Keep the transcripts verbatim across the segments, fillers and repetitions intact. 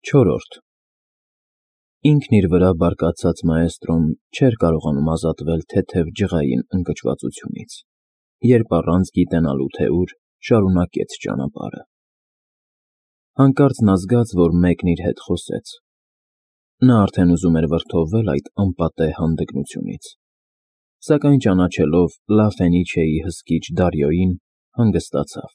Չորրորդ Ինքն իր վրա բարկացած մաեստրոն չէր կարողանում ազատվել թեթև ջղային ընկճվածությունից, երբ առանց գիտենալու թե ուր շարունակեց ճանապարհը։ Հանկարծ նա զգաց, որ մեկն իր հետ խոսեց։ Նա արդեն ուզում էր վրդովվել այդ անպատեհ հանդգնությունից, սակայն ճանաչելով Լաֆենիչեի հսկիչ Դարիոյին, հանգստացավ։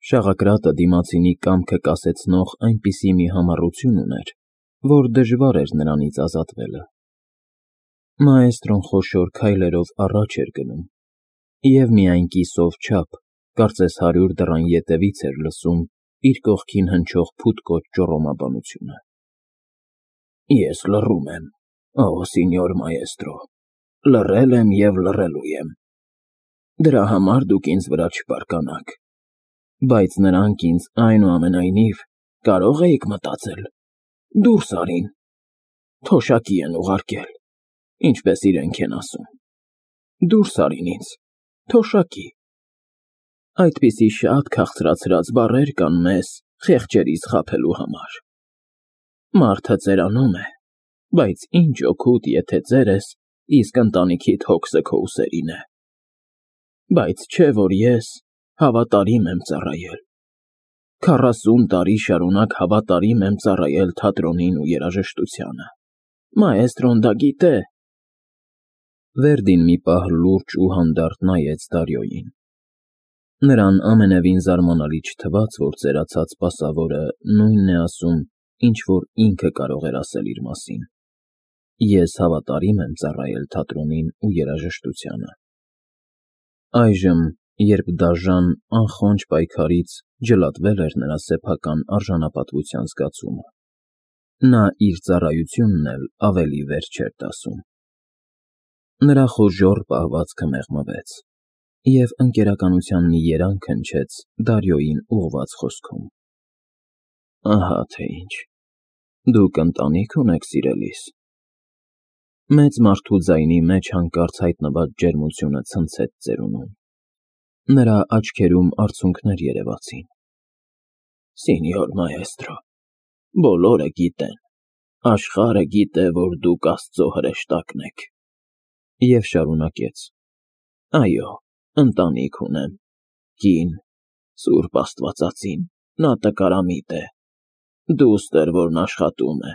Շաղակրատը դիմացինի կամքը կասեցնող այնպիսի մի համառություն ուներ, որ դժվար էր նրանից ազատվելը։ Մաեստրոն խոշոր քայլերով առաջ էր գնում, և միայն կիսով չափ, կարծես հարյուր դռան ետևից էր լսում իր կողքին հնչող փութկոճ ճոռոմաբանությունը. Ես լռում եմ, օ սինյոր մաեստրո, լռել եմ և լռելու եմ։ Դրա համար դուք ինձ վրա չբարկանաք, բայց նրանք ինձ այնուամենայնիվ կարո՞ղ էիք մտածել, դուրս արին, թոշակի են ուղարկել, ինչպես իրենք են ասում, դուրս արին ինձ, թոշակի։ Այդպիսի շատ քաղցրացրած բառեր կան մեզ խեղճերից խաբելու համար։ Մարդը ծերանում է, բայց ինչ օգուտ, եթե ծերես, իսկ ընտանիքիդ հոգսը քո ուսերին է։ Բայց չէ որ ես հավատարիմ եմ ծառայել, քառասուն տարի շարունակ հավատարիմ եմ ծառայել թատրոնին ու երաժշտությանը, մաեստրոն դա գիտե։ Վերդին մի պահ լուրջ ու հանդարտ նայեց Դարիոյին։ Նրան ամենևին զարմանալի չթվաց, որ ծերացած սպասավորը նույնն է ասում, ինչ որ ինքը կարող էր ասել իր մասին. Ես հավատարիմ եմ ծառայել թատրոնին ու երաժշտությանը։ Այժմ, երբ դաժան, անխոնջ պայքարից ջլատվել էր նրա սեփական արժանապատվության զգացումը, նա իր ծառայությունն էլ ավելի վեր չէր տասում։ Նրա խոժոռ պահվածքը մեղմվեց, և ընկերականության մի երանգ հնչեց Դարիոյին ուղղված խոսքում. Ահա թե ինչ, դուք ընտանի՞ք ունեք, սիրելիս։ Մեծ մարդու ձայնի մեջ հանկարծ հայտնված ջերմությունը ցնցեց ծերունուն։ Նրա աչքերում արցունքներ երևացին։ Սինյոր մաեստրո, բոլորը գիտեն, աշխարհը գիտե, որ դուք Աստծո հրեշտակն եք։ Եվ շարունակեց. Այո, ընտանիք ունեմ, կին, Սուրբ Աստվածածին, նա տկարամիտ է, դուստր, որն աշխատում է,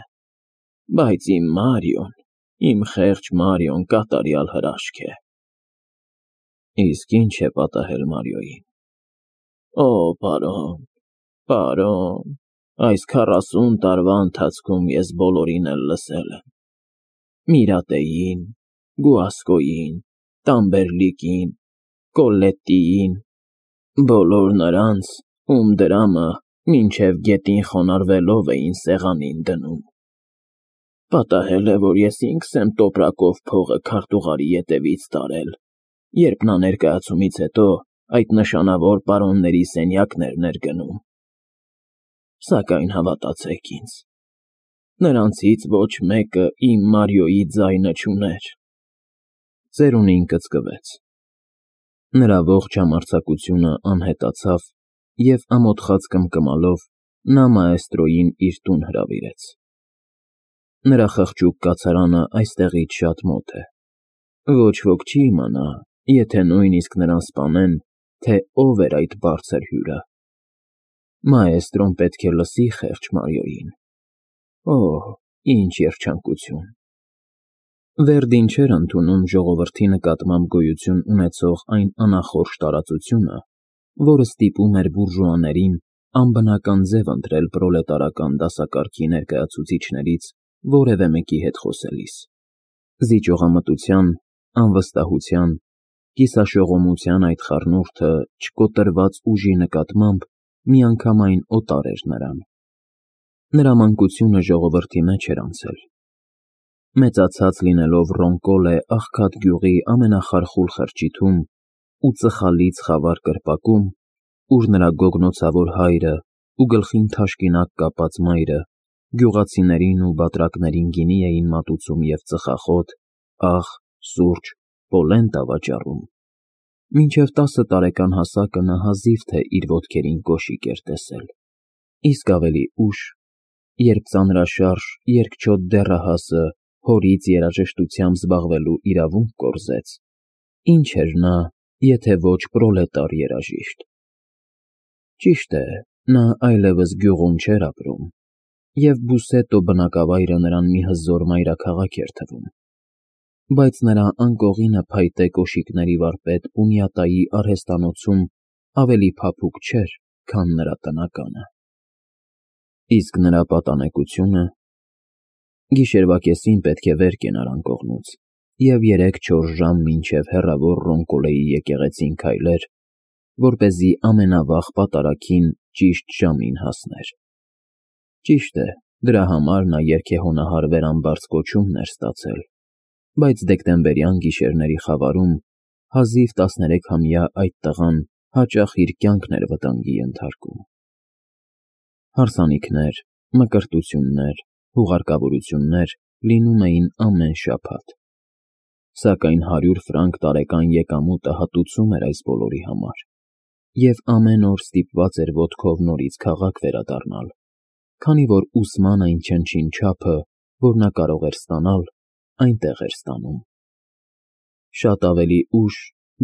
բայց իմ Մարիոն, իմ խեղճ Մարիոն կատարյալ հրաշք է։ Իսկ ի՞նչ է պատահել Մարիոյին։ Օ, պարոն, պարոն, այս քառասուն տարվա ընթացքում ես բոլորին էլ լսել եմ. Միրատեին, Գուասկոյին, Տամբերլիկին, Կոլլետտիին, բոլոր նրանց, ում դրամը մինչև գետին խոնարհվելով էին սեղանին դնում։ Պատահել է, որ ես ինքս եմ տոպրակով փողը քարտուղարի ետևից տարել, երբ նա ներկայացումից հետո այդ նշանավոր պարոնների սենյակներն էր գնում։ Սակայն հավատացեք ինձ, նրանցից ոչ մեկը իմ Մարիոյի ձայնը չուներ։ Ծերունին կծկվեց։ Նրա ողջ համարձակությունը անհետացավ, և ամոթխած կմկմալով նա մաեստրոյին իր տուն հրավիրեց։ Նրա խղճուկ կացարանը այստեղից շատ մոտ է։ Ոչ ոք չի իմանա, եթե նույնիսկ նրան սպանեն, թե ով էր այդ բարձր հյուրը։ Մաեստրոն պետք է լսի խեղճ Մարիոյին։ Օ, ինչ երջանկություն։ Վերդին չէր ընդունում ժողովրդի նկատմամբ գոյություն ունեցող այն անախորժ տարածությունը, որը ստիպում էր բուրժուաներին անբնական ձև ընտրել պրոլետարական դասակարգի ներկայացուցիչներից որևէ մեկի հետ խոսելիս։ Զիջողամտության, անվստահության, կիսաշողոմության այդ խառնուրդը չկոտրված ուժի նկատմամբ միանգամայն օտար էր նրան։ Նրա մանկությունը ժողովրդի մեջ էր անցել։ Մեծացած լինելով Ռոնկոլե աղքատ գյուղի ամենախարխուլ խրճիթում ու ծխալից խավար կրպակում, ուր նրա գոգնոցավոր հայրը ու գլխին թաշկինակ կապած մայրը գյուղացիներին ու բատրակներին գինի էին մատուցում և ծխախոտ, աղ, սուրճ, պոլենտ ավաճառում, մինչև տասը տարեկան հասակը նա հազիվ թե իր ոտքերին կոշիկ էր տեսել, իսկ ավելի ուշ երբ ծանրաշարժ, երկչոտ դեռահասը հորից երաժշտությամբ զբաղվելու իրավունք կորզեց, ինչ էր նա, եթե ոչ պրոլետար երաժիշտ։ Ճիշտ է, նա այլևս գյուղում չէր ապրում, և Բուսետո բնակավայրը նրան մի հզոր մայրաքաղաք էր թվում, բայց նրա անկողինը փայտե կոշիկների վարպետ Պունյատայի արհեստանոցում ավելի փափուկ չէր, քան նրա տնականը։ Իսկ նրա պատանեկությունը… Գիշերվա կեսին պետք է վեր կենար անկողնուց և երեք֊չորս ժամ մինչև հեռավոր Ռոնկոլեի եկեղեցին քայլեր, որպեսզի ամենավաղ պատարագին ճիշտ ժամին հասներ։ Ճիշտ է, դրա համար նա երգեհոնահար վերամբարձ կոչումն էր ստացել, բայց դեկտեմբերյան գիշերների խավարում հազիվ տասներեքամյա այդ տղան հաճախ իր կյանքն էր վտանգի ենթարկում։ Հարսանիքներ, մկրտություններ, հուղարկավորություններ լինում էին ամեն շաբաթ, սակայն հարյուր ֆրանկ տարեկան եկամուտը հատուցում էր այս բոլորի համար, և ամեն օր ստիպված էր ոտքով նորից քաղաք վերադառնալ, քանի որ ուսման այն չնչին չափը, որ նա կարող էր ստանալ, այնտեղ էր ստանում։ Շատ ավելի ուշ,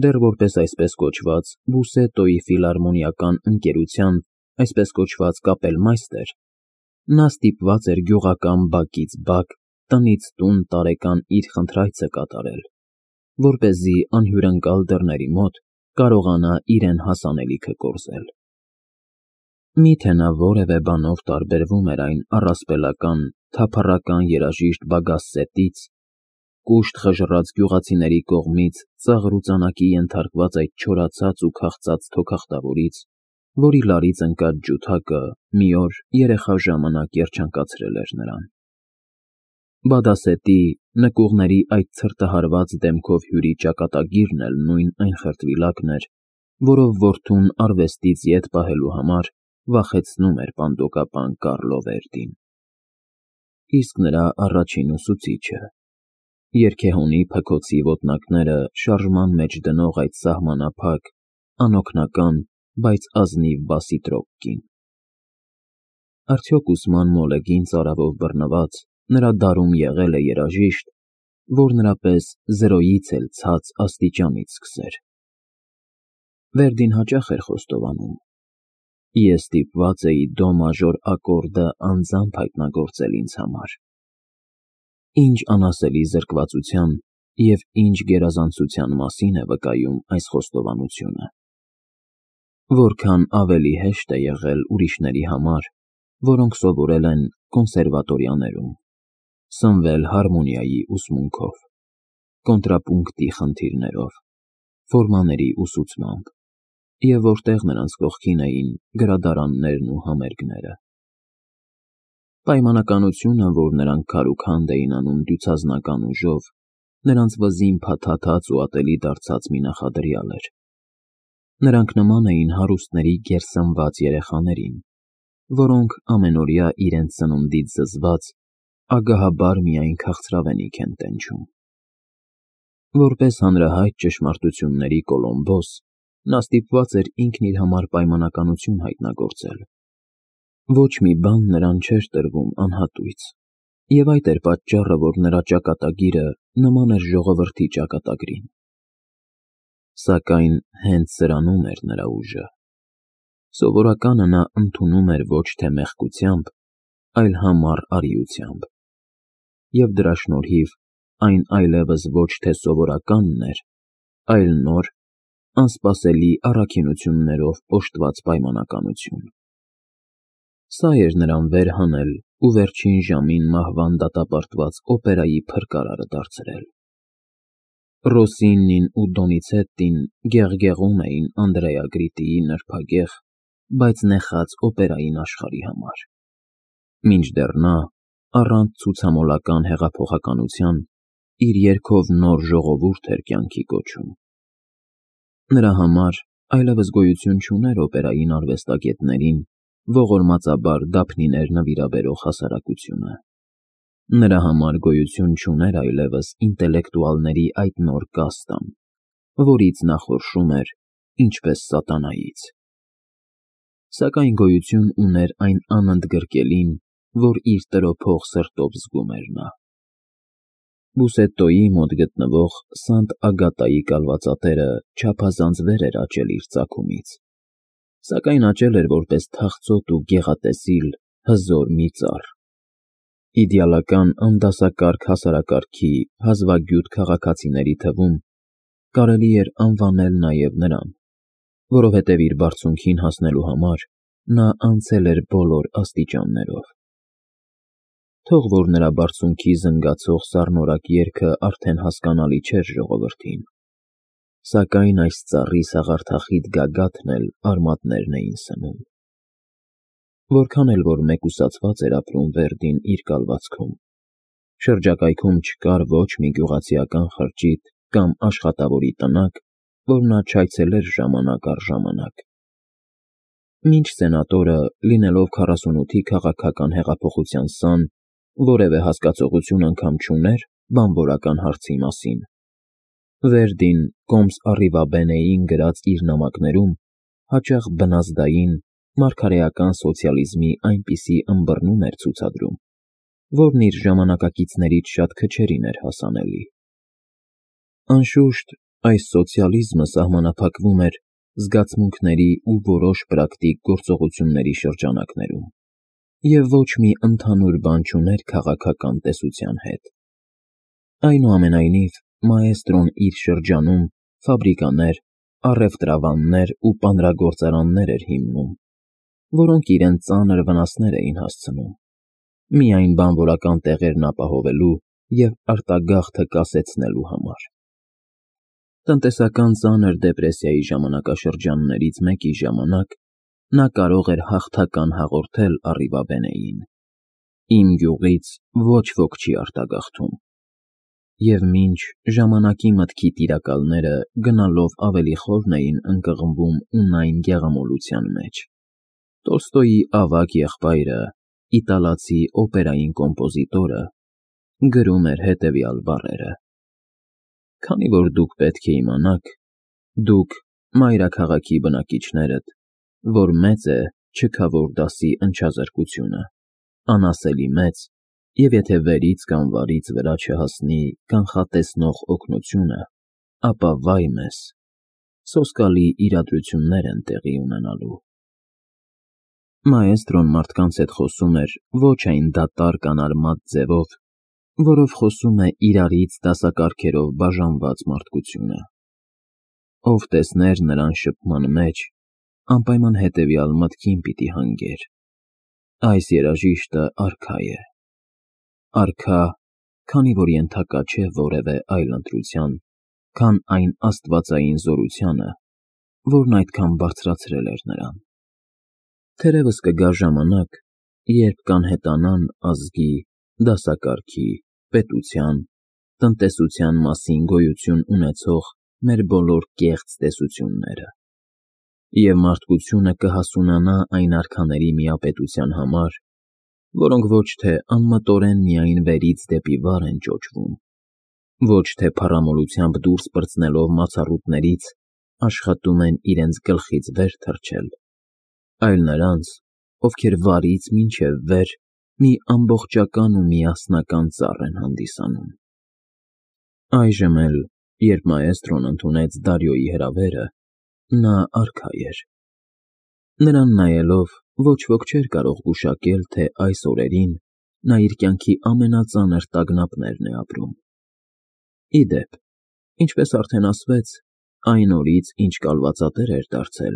դեռ որպես այսպես կոչված Բուսետոյի ֆիլհարմոնիական ընկերության այսպես կոչված կապելմայստեր, նա ստիպված էր գյուղական բակից բակ, տնից տուն տարեկան իր խնդրայցը կատարել, որպեսզի անհյուրընկալ դռների մոտ կարողանա իրեն հասանելիքը կորզել։ Մի՞թե նա որևէ բանով տարբերվում էր այն առասպելական, թափառական երաժիշտ Բագասետից, կուշտ խժռած գյուղացիների կողմից ծաղր ու ծանակի ենթարկված այդ չորացած ու քաղցած թոքախտավորից, որի լարից ընկած ջութակը մի օր երեխա ժամանակ երջանկացրել էր նրան։ Բադասետի, նկուղների այդ ցրտահարված դեմքով հյուրի ճակատագիրն էլ նույն այն խրտվիլակն էր, որով որդուն արվեստից ետ պահելու համար վախեցնում էր պանդոկապան Կառլո Վերդին։ Իսկ նրա առաջին ուսուցիչը… Երգեհոնի փքոցի ոտնակները շարժման մեջ դնող այդ սահմանափակ, անօգնական, բայց ազնիվ բասիտրոկ կին… Արդյոք ուսման մոլեգին ծարավով բռնված նրա դարում եղե՞լ է երաժիշտ, որ նրա պես զրոյից էլ ցած աստիճանից սկսեր։ Վերդին հաճախ էր խոստովանում. «Ես ստիպված էի դո մաժոր ակորդը անձամբ հայտնագործել ինձ համար»։ Ինչ անասելի զրկվածության և ինչ գերազանցության մասին է վկայում այս խոստովանությունը։ Որքան ավելի հեշտ է եղել ուրիշների համար, որոնք սովորել են կոնսերվատորիաներում, սնվել հարմոնիայի ուսմունքով, կոնտրապունկտի խնդիրներով, ֆորմաների ուսուցմամբ, և որտեղ նրանց կողքին էին գրադարաններն ու համերգները։ Պայմանականությունը, որ նրանք քարուքանդ էին անում դյուցազնական ուժով, նրանց վզին փաթաթած ու ատելի դարձած մի նախադրյալ էր։ Նրանք նման էին հարուստների գերսնված երեխաներին, որոնք ամենօրյա իրենց սնունդից զզված, ագահաբար միայն քաղցրավենիք են տենչում։ Որպես հանրահայտ ճշմարտությունների Կոլումբոս, նա ստիպված էր ինքն իր համար պայմանականություն հայտնագործել։ Ոչ մի բան նրան չէր տրվում անհատույց, և այդ էր պատճառը, որ նրա ճակատագիրը նման էր ժողովրդի ճակատագրին։ Սակայն հենց սրանում էր նրա ուժը։ Սովորականը նա ընդունում էր ոչ թե մեղքությամբ, այլ համառ արիությամբ, և դրա շնորհիվ այն այլևս ոչ թե սովորականն էր, այլ նոր, անսպասելի առաքինություններով օժտված պայմանականություն։ Սա էր նրան վեր հանել ու վերջին ժամին մահվան դատապարտված օպերայի փրկարարը դարձրել։ Ռոսինին ու Դոնիցետտին գեղգեղում էին Անդրեա Գրիտիի նրբագեղ, բայց նեխած օպերային աշխարհի համար, մինչդեռ նա, առանց ցուցամոլական հեղափոխականության, իր երգով նոր ժողովուրդ էր կյանքի կոչում։ Նրա համար այլևս գոյություն չուներ օպերային արվեստագետներին ողորմածաբար դափնիներ նվիրաբերող հասարակությունը։ Նրա համար գոյություն չուներ այլևս ինտելեկտուալների այդ նոր կաստան, որից նա խորշում էր ինչպես սատանայից։ Սակայն գոյություն ուներ այն անընդգրկելին, որ իր տրոփող սրտով զգում էր նա։ Բուսետտոյի մոտ գտնվող Սանտ Ագատայի կալվածատերը չափազանց վեր էր աճել իր ծագումից, սակայն աճել էր որպես թախծոտ ու գեղատեսիլ հզոր մի ծառ, իդեալական անդասակարգ հասարակարգի հազվագյուտ քաղաքացիների թվում կարելի էր անվանել նաև նրան, որովհետև իր բարձունքին հասնելու համար նա անցել էր բոլոր աստիճաններով։ Թող որ նրա բարձունքի զնգացող սառնորակ երգը արդեն հասկանալի չէր ժողովրդին, սակայն այս ծառի սաղարթախիտ գագաթն էլ արմատներն էին սնում։ Որքան էլ որ մեկուսացված էր ապրում Վերդին իր կալվածքում, շրջակայքում չկար ոչ մի գյուղացիական խրճիթ կամ աշխատավորի տնակ, որ նա չայցելեր ժամանակ առ ժամանակ։ Մինչ սենատորը, լինելով քառասունութի քաղաքական հեղափոխության սան, որևէ հասկացողություն անգամ չուներ բանվորական հարցի մասին, Վերդին կոմս Առիվաբենեին գրած իր նամակներում հաճախ բնազդային, մարգարեական սոցիալիզմի այնպիսի ըմբռնում էր ցուցադրում, որն իր ժամանակակիցներից շատ քչերին էր հասանելի։ Անշուշտ, այս սոցիալիզմը սահմանափակվում էր զգացմունքների ու որոշ պրակտիկ գործողությունների շրջանակներում և ոչ մի ընդհանուր բան չուներ քաղաքական տեսության հետ։ Այնուամենայնիվ, մաեստրոն իր շրջանում ֆաբրիկաներ, առևտրավաններ ու պանրագործարաններ էր հիմնում, որոնք իրենց ծանր վնասներ էին հասցնում, միայն բանվորական տեղերն ապահովելու և արտագաղթը կասեցնելու համար։ Տնտեսական ծանր դեպրեսիայի ժամանակաշրջաններից մեկի ժամանակ նա կարող էր հաղթական հաղորդել Առիվաբենեին. «Իմ գյուղից ոչ ոք չի արտագաղթում», և մինչ ժամանակի մտքի տիրակալները գնալով ավելի խորն էին ընկղմվում ունայն գեղամոլության մեջ, Տոլստոյի ավագ եղբայրը, իտալացի օպերային կոմպոզիտորը, գրում էր հետևյալ բառերը. «Քանի որ դուք պետք է իմանաք, դուք, մայրաքաղաքի բնակիչներդ, որ մեծ է չքավոր դասի ընչազրկությունը, անասելի մեծ, և եթե վերից կամ վարից վրա չհասնի կանխատեսնող օգնությունը, ապա վայ մեզ, սոսկալի իրադրություններ են տեղի ունենալու»։ Մաեստրոն մարդկանց հետ խոսում էր ոչ այն դատարկ անարմատ ձևով, որով խոսում է իրարից դասակարգերով բաժանված մարդկությունը։ Ով տեսներ նրան շփման մեջ, անպայման հետևյալ մտքին պիտի հանգեր. այս երաժիշտը արքա է, արքա, քանի որ ենթակա չէ որևէ այլ ընտրության, քան այն աստվածային զորությանը, որն այդքան բարձրացրել էր նրան։ Թերևս կգա ժամանակ, երբ կանհետանան ազգի, դասակարգի, պետության, տնտեսության մասին գոյություն ունեցող մեր բոլոր կեղծ տեսությունները, և մարդկությունը կհասունանա այն արքաների միապետության համար, որոնք ոչ թե անմտորեն միայն վերից դեպի վար են ճոճվում, ոչ թե փառամոլությամբ դուրս պրծնելով մացառուտներից աշխատում են իրենց գլխից վեր թռչել, այլ նրանց, ովքեր վարից մինչև վեր մի ամբողջական ու միասնական ծառ են հանդիսանում։ Այժմ էլ, երբ մաեստրոն ընդունեց Դարիոյի հրավերը, նա արքա էր։ Նրան նայելով ոչ ոք չէր կարող գուշակել, թե այս օրերին նա իր կյանքի ամենածանր տագնապներն է ապրում։ Ի դեպ, ինչպես արդեն ասվեց, այն օրից, ինչ կալվածատեր էր դարձել,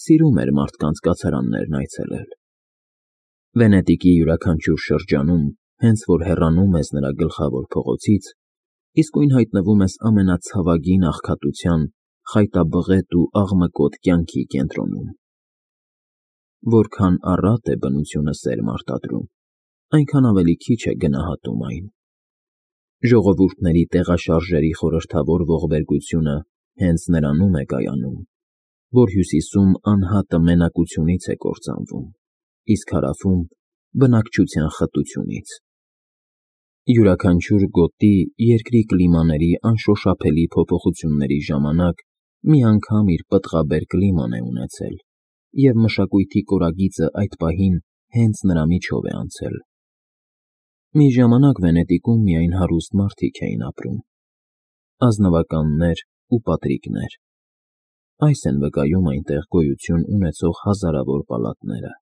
սիրում էր մարդկանց կացարաններն այցելել։ Վենետիկի յուրաքանչյուր շրջանում, հենց որ հեռանում ես նրա գլխավոր փողոցից, իսկույն հայտնվում ես ամենացավագին աղքատության, խայտաբղետ ու աղմկոտ կյանքի կենտրոնում։ Որքան առատ է բնությունը սերմ արտադրում, այնքան ավելի քիչ է գնահատում այն։ Ժողովուրդների տեղաշարժերի խորհրդավոր ողբերգությունը հենց նրանում է կայանում, որ հյուսիսում անհատը մենակությունից է կործանվում, իսկ հարավում բնակչության խտությունից։ Յուրաքանչյուր գոտի երկրի կլիմաների անշոշափելի փոփոխությունների ժամանակ մի անգամ իր պտղաբեր կլիման է ունեցել, և մշակույթի կորագիծը այդ պահին հենց նրա միջով է անցել։ Մի ժամանակ Վենետիկում միայն հարուստ մարդիկ էին ապրում, ազնվականներ ու պատրիկներ. այս են վկայում այնտեղ գոյություն ունեցող հազարավոր պալատները։